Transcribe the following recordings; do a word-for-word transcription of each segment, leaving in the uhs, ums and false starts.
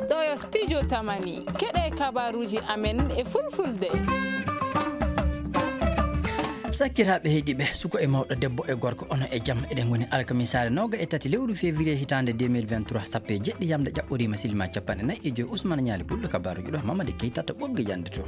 Ɗo yo studio Tamani, keɗe kabaruuji amen e fulfulde. Sakkiraaɓe heɗiiɓe, suko e mawɗo, debbo e gorko, ono e jam. Eɗen ngoni alkamisaare nooga e tati lewru février hitaande deux mille vingt-trois, sappo e jeɗɗi yamde ƴaɓɓoriima, silima capanɗe nayi e joy. Ousmane Ñaali Pullo, kabaaruuji ɗo, Mamadi Keita to ɓoggi jannde to.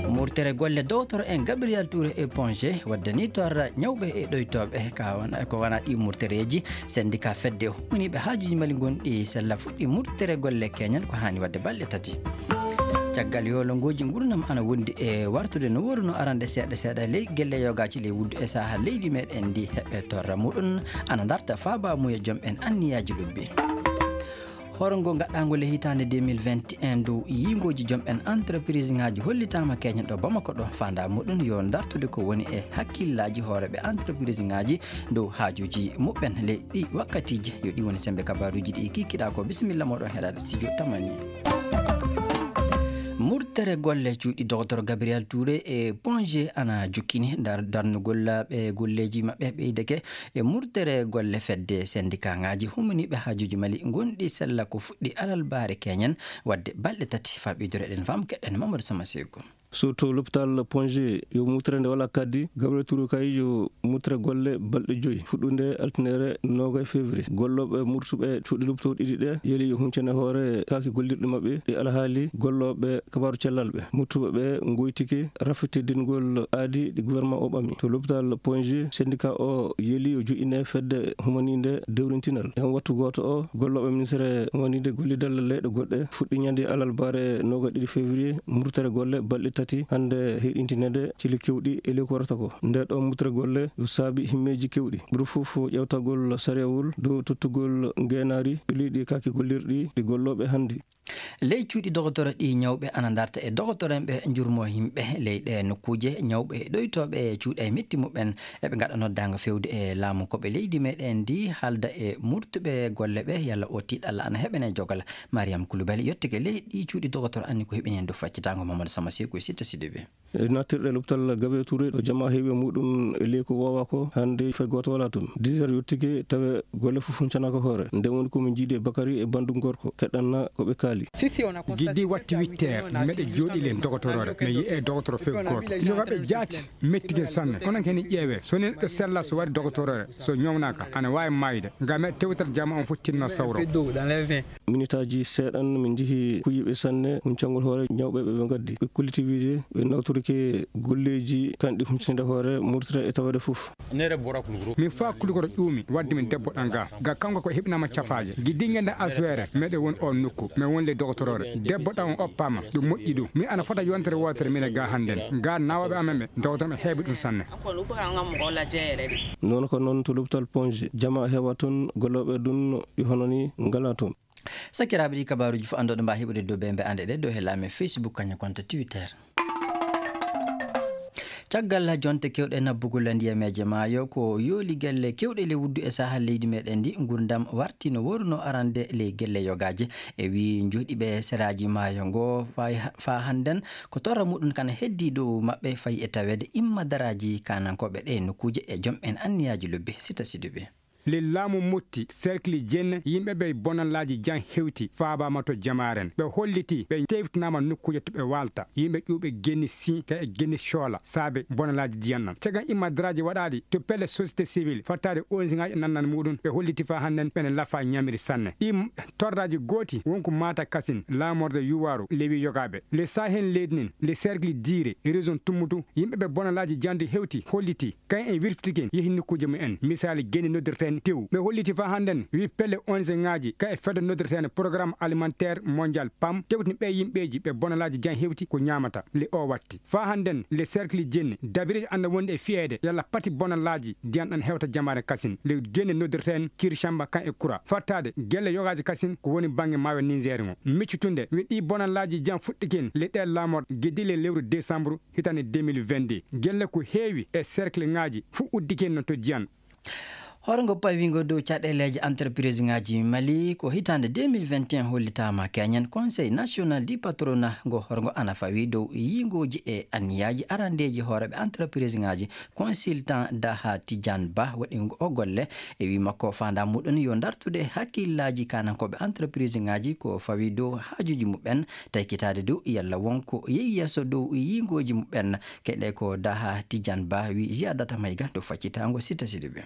Murtere golle dowtoro en Gabriel Touré e Ponge, wadde ni torra ñawɓe e ɗoytooɓe, ka wana, ko wana ɗi murtereeji. Syndicat fedde humaniiɓe haajuuji Mali gonɗi sella fuɗɗi murtere golle keñan ko haani waɗde balɗe tati. Caggal yoolongooji ngurnam ana wondi e wartude no wooruno arande seeɗa seeɗa ley gelle yogaaji ley wuddu e saha leydi meɗen ndi heɓe torra muɗum ana darta faaba muya joom en anniyaaji lobbi. Horngo gaɗɗaango le hitaande deux mille vingt et un dow yiingooji joom en entreprise ŋaaji hollitaama keñen ɗo Bamako ɗo faandaa muɗum yo dartude ko woni e hakkillaaji hooreeɓe entreprise ŋaaji dow haajuuji muɓɓen ley ɗi wakkatiiji. Yo ɗi woni sembe kabaaruuji ɗi kikiɗaa ko. Bisimilla mooɗon heɗaade studio Tamani. Murtere golle cuuɗi Docteur Gabriel Touré e Ponge ana jukkini dar-, darnugol ɓe golleeji maɓɓe ɓeydeke e murtere golle fedde syndicat ŋaaji humaniiɓe haajuuji Mali gonɗi sella ko fuɗɗi alalbaare keñen wadde balɗe tati. Faa ɓeydoro eɗen faam keɗɗen Mamadou Sama Seyko. Surtout l'hôpital Ponge yo mutre nde wala kaddi, Gabriel Touré kay yo mutre golle balɗe joyi, fuɗɗunde altine noogayi février. Gollooɓe murtuɓe cuuɗi loptoo ɗiɗi ɗe yeli yo huncene hoore kaaki gollirɗi maɓɓe ɗi alhaali gollooɓe kabaaru cellal ɓe. Murtuɓe ɓe ngoytike rafetidingol aadi ɗi gouvernement o ɓami. To l'hôpital Ponge, syndicat o yeli yo joƴƴine fedde humaniinde dewrintinal. E on wattu gooto o, gollooɓe ministere humaniinde gollidal leyɗe goɗɗe fuɗɗi ñande alarbaare noogayi ɗiɗi février murtere golle balɗe tati hannde heyɗintinede cili kewɗi e ley ko warata ko. Nde ɗo murtere golle yo saabi himmeeji kewɗi. Ɓuri fof ƴeewtagol sariyawol dow tottugol ngeenaari ɓileeɗi kaaki gollirɗi ɗi gollooɓe hannde. Ley cuuɗi dogotoro ɗi ñawɓe ana darta e dogotoro en ɓe njurmoo yimɓe ley ɗe nokkuuje, ñawɓe e ɗoytooɓe e cuuɗi e metti muɓɓen, eɓe ngaɗa noddaango fewde e laamu ko ɓe leydi meɗen ndi haalda e murtuɓe golle ɓe yalla o tiiɗalla ana heɓene jogal. Mariam Koulibaly yottike ley ɗi cuuɗi dogotoro anni ko heɓini en dow faccitaango Mamadou Sama Seeku e Sitta Sidibé. E nattirɗe lopital Gabriel Touré ɗo jamaa heewi e muɗum e ley ko waawaa ko, hannde fay gooto walaa toon. Dix heures yottike tawe golle fof huncanaaka hoore. Nde woni ko min njiidi e Bakary e banndum gorko, keɗɗanna ko ɓe kaali. Giddi watti huit heures, meɗe jooɗi le dogotoroore, mi yi'e dogotoro fay gooto. Yoga ɓe jaati, mettike sanne. Kono kene ƴeewe, so neɗɗo sella so wari dogotoroore, so ñawnaaka, ana waawi maayde. Ngam meɗe tewtal jama on fof tinno sawro. Minitaaji seeɗan, min njehi kuyiiɓe sanne, huncangol hoore ñawɓe ɓe ɓe ngaddi. Ɓe kolliti wiide ɓe nawtorike golleeji kanɗi huncinde hoore murtita e taweede fof. Min faa kulugoro ƴuumi, wadde min debbo ɗan ga. Ga kanko ko heɓinama cafaaje. Giddi ngenda asweere, meɗe won o nokku, mi won le dogotoroore. Debbo ɗan on oppaama, ɗum moƴƴi ɗum. Mi ana fota yontere wootere mine ga hannden. Ga naawooɓe amen ɓe, dogotoro ɓe heewi ɗum sanne. Noon ko noon to lopital Ponge, jama heewa toon, gollooɓe ɗum yo hono ni ngalaa toon. Sakiraaɓe, ɗi kabaaruuji fof anndooɗo mbaa heɓude dow bembe annde ɗe dow he laamen Facebook, kañum konta Twitter. Caggal jonte kewɗe nabbugol ndiyameeje maayo, ko yooli gelle kewɗe le wuddu e saha leydi meɗen ndi, ngurdam warti no wooruno arande ley gelle yogaaje. E wii njoɗiɓe seraaji maayo ngo fay ha-, faa hannden ko torra muɗum kana heddi dow maɓɓe fayi e taweede imma daraaji kaanankooɓe ɗe nokkuuje e joom en anniyaaji lobbi. Sita Sidibe. Le laamu motti, cercle Jenne, yimɓe ɓe bonalaaji jan hewti, faabaama to jamaaren. Ɓe holliti, ɓe tewtinaama nokkuuje to ɓe waalta. Yimɓe ƴuuɓe genni si, ka e genni coola, saabe bonalaaji diyan nan. Caggal imma daraaji waɗaaɗi, to pelle société civile, fattaade onziŋaaji nannan muɗum, ɓe holliti faa hannden, ɓene lafa ñamiri sanne. Ɗi torraaji gooti, wonko maata kasin, laamorde yuwaaru, lewi yogaaɓe. Le Sahel leydi nin, le cercle Diire, région Tummutu, yimɓe ɓe bonalaaji jandi hewti, holliti, Kayen en wirfitiken yehi nokkuuje mumen, misaali genne noddirteene tew. Ɓe holliti faa hannden, wi pelle onziŋaaji ka e fedde noddirteene Programme Alimentaire Mondial, pam, tewtini ɓee yimɓeeji ɓe bonalaaji jan hewti ko ñaamata. Le o watti. Faa hannden, le cercle Jenne, dabiri ana wondi e fiyeede, yalla pati bonalaaji diyan ɗan hewta jamaare kasin. Le genne noddirteene Kirishamba kan e Kura. Fattaade, gelle yogaaji kasin ko woni baŋŋe maayo Niger ŋo. Miccutunde, wi ɗi bonalaaji jan fuɗɗiken le ɗee laamorɗe giddi le lewru desambru, hitande deux mille vingt-deux. Gelle ko heewi e cercle ŋaaji fu uddike no to Diyan. Horgo pawiingo dow caɗeeleeji entreprise ŋaaji Mali ko hitaande deux mille vingt et un hollitaama keñen. Conseil national du patronat ngo horgo ana fawi dow yiingooji e anniyaaji arandeeji hooreeɓe entreprise ŋaaji. Consultant Daha Tidiane Ba waɗi o golle e wii makko faandaa muɗum yo dartude hakkillaaji kaanankooɓe entreprise ŋaaji ko fawi dow haajuuji muɓɓen, taykitaade dow yalla wonko yehi yeeso dow yiingooji muɓɓen. Keɗe ko Daha Tidiane Ba wii Ziadata Mayga to faccitaango Sita Sidibe.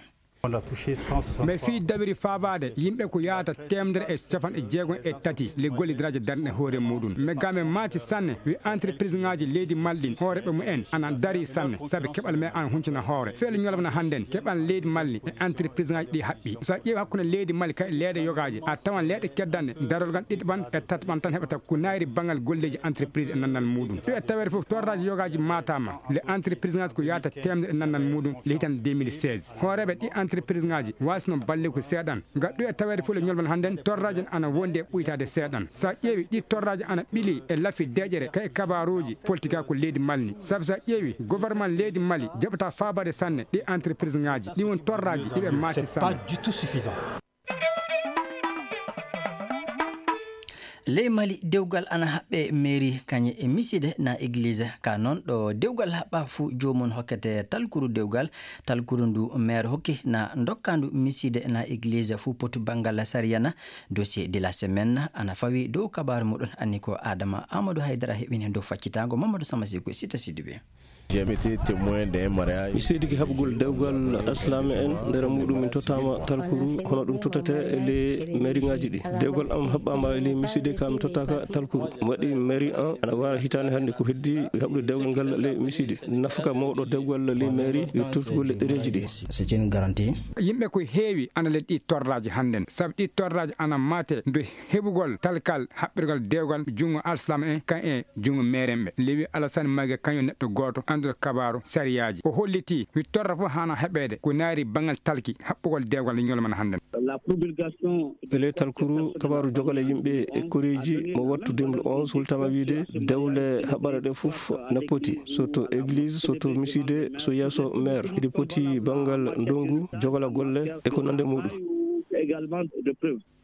Mais fii dawiri faabaade yimɓe ko yaata teemedere e capanɗe jeegom e tati le gollidiraji darne hoore muɗum. Mais game maati sanne wi entreprise ŋaaji leydi Mali ɗin hooreɓe mumen ana dari sanne sabi keɓal me ana huncina hoore. Feele ñolama na hannden keɓal leydi Mali e entreprise ŋaaji ɗi haɓɓi. So a ƴeewi hakkunde leydi Mali kay leeɗe yogaaji a tawan leeɗe keddanɗe darol gan ɗiɗi ɓan e tati ɓan tan heɓata ko naayri bangal golleeji entreprise e nannal muɗum. Ɗo e taweede fof torraji yogaaji maataama le entreprise ŋaaji ko yaata teemedere e nannal muɗum le hitande deux mille seize. Hooreeɓe ɗi entreprise ŋaaji waasno balle ko seeɗan. Ngal ɗo e taweede fof le ñolman hannden torraji ana wondi e ɓuytaade seeɗan. So a ƴeewi ɗi torraji ana ɓili e lafi deƴere kay kabaaruuji politika ko leydi Mali. Sabu so a ƴeewi gouvernement leydi Mali jaɓata faabaade sanne ɗi entreprise ŋaaji. Ɗi won torraji ɗiɓe maati sanne. Ley Mali dewgal ana haɓɓe mairie kañe e miside na église ka noon ɗo dewgal haɓɓa fuu joomum hokkete talkuru dewgal. Talkuru ndu maire hokki na dokkandu miside na église fuu potu banngal sariya na. Dossier de la semaine ana fawi dow kabaaru muɗum anni ko Adama Amadou Haydara heɓini dow faccitaango Mamadou Samasigo Sita Sidibe. Mi seedike haɓugol dewgal aslame en nder muɗum min tottama talkuru hono ɗum tottete e ley mairie ŋaaji ɗi. Dewgal am haɓɓama e ley miside ka mi tottaka talkuru. Mi waɗi mairie an ana wara hitande hannde ko heddi haɓude dewgal ngal ley miside. Nafaka mawɗo dewgal ley mairie yo tottugol le ɗereji ɗi. C'est une garantie. Yimɓe ko heewi ana le ɗi torraji hannden sabu ɗi torraji ana mate ndu heɓugol talkal haɓɓirgal dewgal junngo alslam en kan e junngo meeren ɓe. Lewi Alassane Mayga kañum neɗɗo gooto annduɗo kabaaru sariyaaji. O holliti wi torra fof haana heɓeede ko naari banngal talki haɓɓugol dewgal e ñolmana hannden. E ley talkuru kabaaru jogale yimɓe e koreeji mo wattu deux mille onze hultama wiide dewle haɓɓare ɗe fof na poti so to église so to miside so yeeso maire eɗi poti banngal ndongu jogala golle e ko nande muɗum.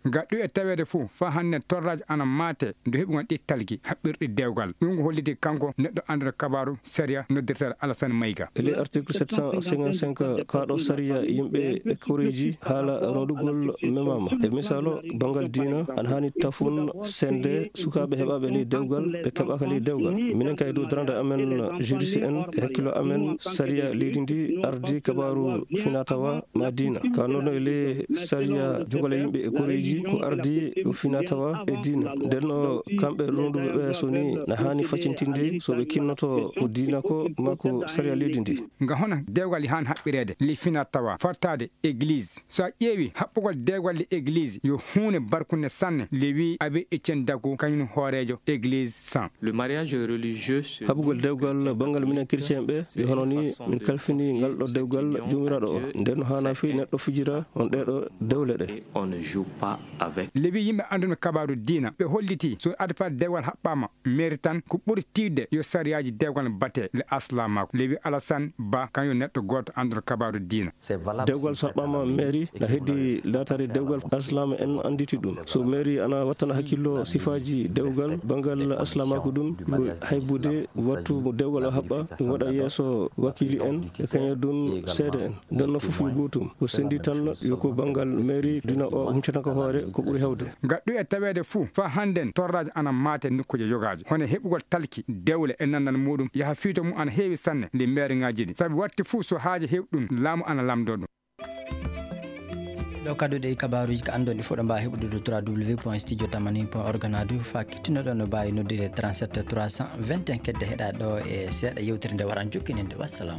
Gaɗɗu e taweede fof faa hannde torraaji ana maate ndu heɓugol ɗi talki haɓɓirɗi dewgal. Ɗum ko holliti kanko neɗɗo annduɗo kabaaru sariya noddirteeɗo Alassane Mayga. E ley article sept cent cinquante-cinq kaaɗo sariya yimɓe e koreeji haala ronndugol memaama. E misaalo, banngal diina ana haani tafun sende sukaaɓe heɓaaɓe ley dewgal ɓe keɓaaka ley dewgal. Minen kay dow darande amen juriste en e hakkilo amen sariya leydi ndi ardi kabaaru finatawa ma diina ka noon e ley sariya jogale yimɓe e koreeji ko ardi o fina tawa e diina. Nden no kamɓe ronduɓe ɓe so ni na haani faccintinde so ɓe kinnoto ko diina ko ma ko sariya leydi ndi. Nga hona dewgal han haɓɓireede li fina tawa fattaade église. So a ƴeewi haɓɓugol dewgal li église yo huunde barkunde sanne li wi abe e cen dagu kañum hooreejo église san. Le mariage religieux se haɓugol dewgal banngal minen chrétien ɓe yo hono ni min kalfini ngal ɗo dewgal joomiraaɗo o. Nden no haana fii neɗɗo fijira on ɗeɗo dewle ɗe. On ne joue pas avec. Lewi yimɓe annduɓe kabaaru diina ɓe holliti so adfa dewgal haɓɓaama mairie tan ko ɓuri tiiɗde yo sariyaaji dewgal bate le aslamaako. Lewi Alassane Ba kañum neɗɗo gooto annduɗo kabaaru diina. Dewgal so haɓɓaama mairie na heddi laataade dewgal aslama en annditi ɗum. So mairie ana wattana hakkillo sifaaji dewgal banngal aslamaako ɗum yo haybude wattu mo dewgal o haɓɓa ɗum waɗa yeeso wakiili en e kañe ɗum seede en. Nden no fof yo gootum o senndi tan yo ko banngal mairie dina o huncata ko hoore ko ɓuri hewde. Gaɗɗu e taweede fuu faa hannden torraaji ana maate nokkuuje yogaaji hono heɓugol talki dewle e nannal muɗum yaha fiito mum ana heewi sanne nde mairie ŋaaji ɗi sabi watti fuu so haaje heewi ɗum laamu ana lamndoo ɗum. Ɗo kadduɗe e kabaaruuji ko anndon ɗi fof ɗo mbaawa heɓude ɗo trois w point studio tamani point org na du faa kittunoɗon no mbaawi noddude trente-sept trois cent vingt et un kedde heɗa ɗo e seeɗa yewtere nde waran jokkininde wassalam.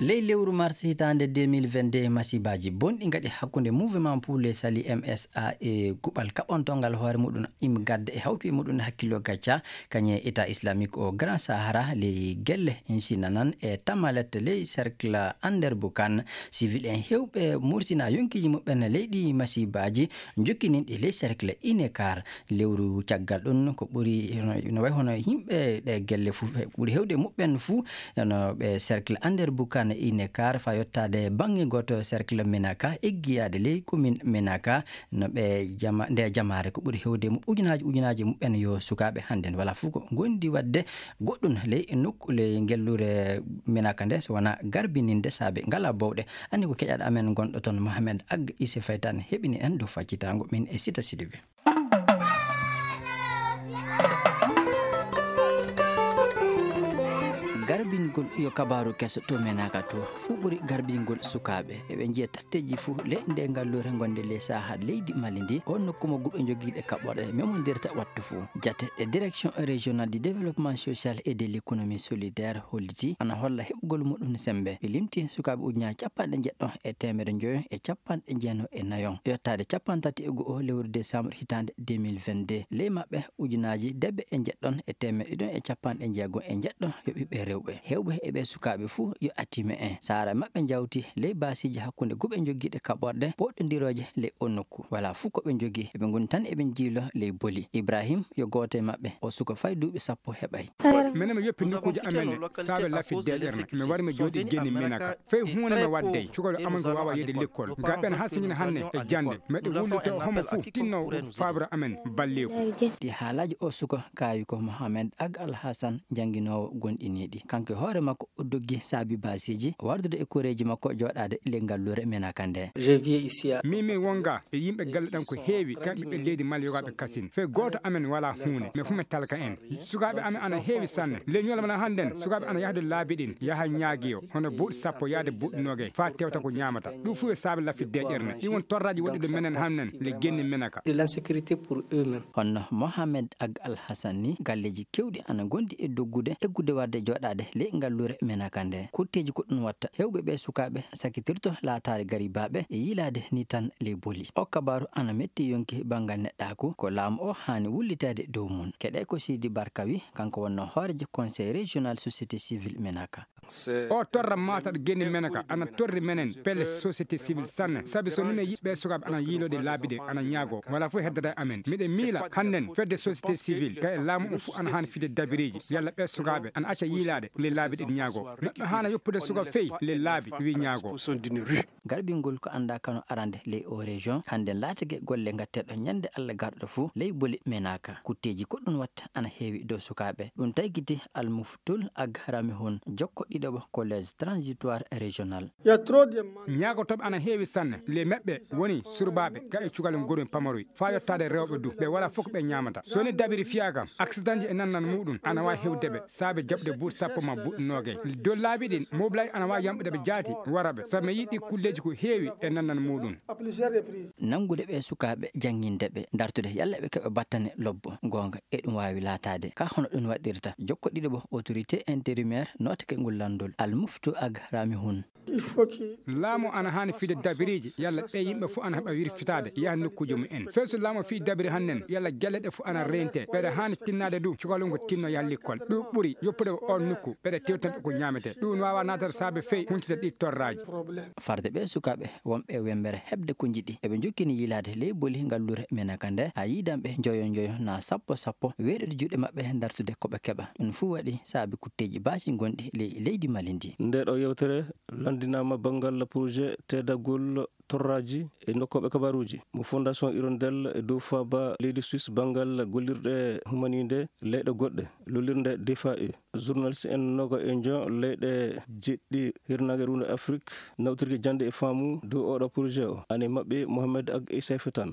Ley lewru mars hitaande deux mille vingt-deux, masiibaaji bonɗi ngaɗi hakkunde Mouvement pour le Salut, M S A, e kuɓal kaɓɓontongal hoore muɗum Im Gadda e hawtuɓe muɗum hakkillo gacca, kañum e État Islamique au Grand Sahara ley gelle Insinanan e Tamalet ley cercle Anderboukan. Civil en heewɓe mursina yonkiiji muɓɓen ley ɗi masiibaaji jokkininɗi ley cercle Inekar. Lewru caggal ɗum, ko ɓuri, no, no wayi hono yimɓe ɗe gelle fuu, ɓuri heewde muɓɓen fuu, no ɓe cercle Anderboukan e Inekar, faa yottaade bannge gooto cercle Menaka, eggiyaade ley commune Menaka, no ɓe jama-, nde jamaare ko ɓuri heewde mu-, ujunaaji, ujunaaji muɓɓen yo sukaaɓe hannden. Wala fuu ko ngondi waɗde goɗɗum ley nokku, ley ngelluure Menaka nde, so wonaa garbininde saabe ngalaa bowɗe. Anni ko keƴaɗo amen gonɗo toon, Mohamed Ag Ise Faytan, heɓini en dow faccitaango min e Sita Sidibe. Garbingol yo kabaaru keso to Menaka to, fuu ɓuri garbingol sukaaɓe. Eɓe njiya tatteeji fuu ley nde ngalluure ngonde ley saaha leydi Mali ndi, on nokku mo guɓe jogiiɗe kaɓɓorɗe memondirta wattu fuu. Jate e Direction Régionale du Développement Social et de l'Économie Solidaire holliti ana holla heɓugol muɗum sembe. Ɓe limti sukaaɓe ujunaaji capanɗe njeɗɗo e teemedde njoyo e capanɗe jeenayo e nayo, yottaade capanɗe tati e go'o lewru décembre hitaande deux mille vingt-deux. Ley maɓɓe, ujunaaji debbe e njeɗɗon e teemedde ɗiɗon e capanɗe jeego e njeɗɗo yo ɓiɓɓe rewɓe. Heewɓe e ɓee sukaaɓe fuu yo attiime en. Saara maɓɓe jawti ley baasiiji hakkunde guɓe jogiiɗe kaɓorɗe pooɗondirooje ley o nokku. Wala fuu ko ɓe njogii, eɓe ngoni tan eɓe njiilo ley boli. Ibrahim yo gooto e maɓɓe, o suka fay duuɓi sappo heɓay. Menen mi yoppi nokkuuji amen saabe lafitde ƴerne. Mi wari mi jooɗi genni Menaka. Fay huunde mi waɗday. Cukalel amen ko waawa yehde lekkol. Ngam ɓen hasingina hannde e jannde. Meɗe wullita homo fuu tinno faabra amen balleeku. Ɗi haalaaji o suka kaawi ko Mohamed Ag Al Hassan, jannginoowo gonɗiniiɗi. Kanko e hoore makko o doggi saabi baasiiji, wardude e koreeji makko jooɗaade ley ngalluure Menaka nde. Min, min wonga e yimɓe galle ɗam ko heewi, kamɓe ɓe leydi Mali yogaaɓe kasin. Fay gooto amen walaa huunde, men fuu men talka en. Sukaaɓe amen ana heewi sanne. Ley ñalawma hannden, sukaaɓe ana yahde laabi ɗin, yaha ñaagiyo, hono buuɗi sappo yaade buuɗi noogay, faa tewta ko ñaamata. Ɗum fuu e saabe lafitde ƴerne. Ɗi won torraaji wonɗi ɗo menen hannden, le genni Menaka. De l'insécurité pour eux-mêmes. Honno Mohamed Ag Al Hassan ni, galleeji keewɗi ana ngondi e doggude, eggude warde jooɗaade ley ngalluure Menaka nde. Kutteeji ko ɗum watta heewɓe ɓe sukaaɓe sakitirto laataade garibaaɓe e yiilaade ni tan ley boli. O kabaaru ana metti yonki banngal neɗɗaaku, ko laamu o haani wulliteede dow mum. Keɗe ko Sidi Barka wi, kanko wonno hooreejo Conseil Régional Société Civile Menaka. O torra maataɗo genni Menaka ana torri menen pelle société civile sanne, sabi so minen yiɓɓe sukaaɓe ana yiilode laabi ɗe ana ñaago, wala fof heddata e amen. Miɗen miila hannden fedde société civile, kay e laamu o fof ana haani fide dabiriiji, yalla ɓe sukaaɓe ana acca yiilaade le laabi ɗe ñaago. Neɗɗo haana yoppude suka fey le laabi wi ñaago. Garbingol ko anndaa kano arande ley o région, hannden laatike golle ngatteɗo ñande Alla garɗo fof ley boli Menaka. Kutteeji ko ɗum watta ana heewi dow sukaaɓe. Ɗum taykiti Almuftul Ag Ramihun, jokko ɗiɗaɓo collège transitoire régional. Ñaagotooɓe ana heewi sanne. Le maɓɓe woni surbaaɓe ka e cukalel ngormi pamaroy, faa yottaade rewɓe du. Ɓe wala fof ko ɓe ñaamata. So ni dabiri fiyaaka, accidentji e nannan muɗum ana waawi hewde ɓe, saabe jaɓde buuɗi sappo ma buuɗi noogay. Dow laabi ɗin, mobilaaji ana waawi yamɗude ɓe jaati, wara ɓe. So mi yiɗi kulleeji ko heewi e nannan muɗum. Nanngude ɓe sukaaɓe, jannginde ɓe, dartude yalla ɓe keɓa battane lobbo, goonga, e ɗum waawi laataade. Ka hono ɗum waɗirta, jokko ɗiɗaɓo autorité intérimaire nootake ngol lanndol, Almuftu Ag Ramihun. Laamu ana haani fide dabiriiji, yalla ɓe yimɓe fof ana heɓa wirfitaade, yaha nokkuuji mum en. Fey so laamu fii dabiri hannden, yalla gelle ɗe fof ana reente, ɓeɗe haani tinnaade du, cukalel ngol tinno yaha likkol. Ɗum ɓuri yoppude ko oon nokku, ɓeɗe tewtanɓe ko ñaametee. Ɗum waawa naatata saabe fey huntita ɗi torraaji. Farde ɓe sukaaɓe wonɓe wembere heɓde ko njiɗi, eɓe njokkini yiilaade ley boli ngalluure Menaka nde, haa yiidanɓe njoyo njoyo naa sappo sappo, weeɗude juuɗe maɓɓe, dartude ko ɓe keɓa. Ɗum fuu waɗi saabi kutteeji baasi ngonɗi ley leydi Mali ndi. Nde ɗo yewtere lanndinaama banngal projet teddagol torraaji e nokkooɓe kabaruuji mo Fondation Hirondelle e dow faaba leydi Suisse banngal gollirɗe humaniinde leyɗe goɗɗe, lollirnde D F A E. Journaliste en noga e njo leyɗe jeɗɗi hirnaange ruunde Afrik nawtirki jannde e faamu dow oɗo projet o. Ane maɓɓe Mohamed Ag Issa Fetan.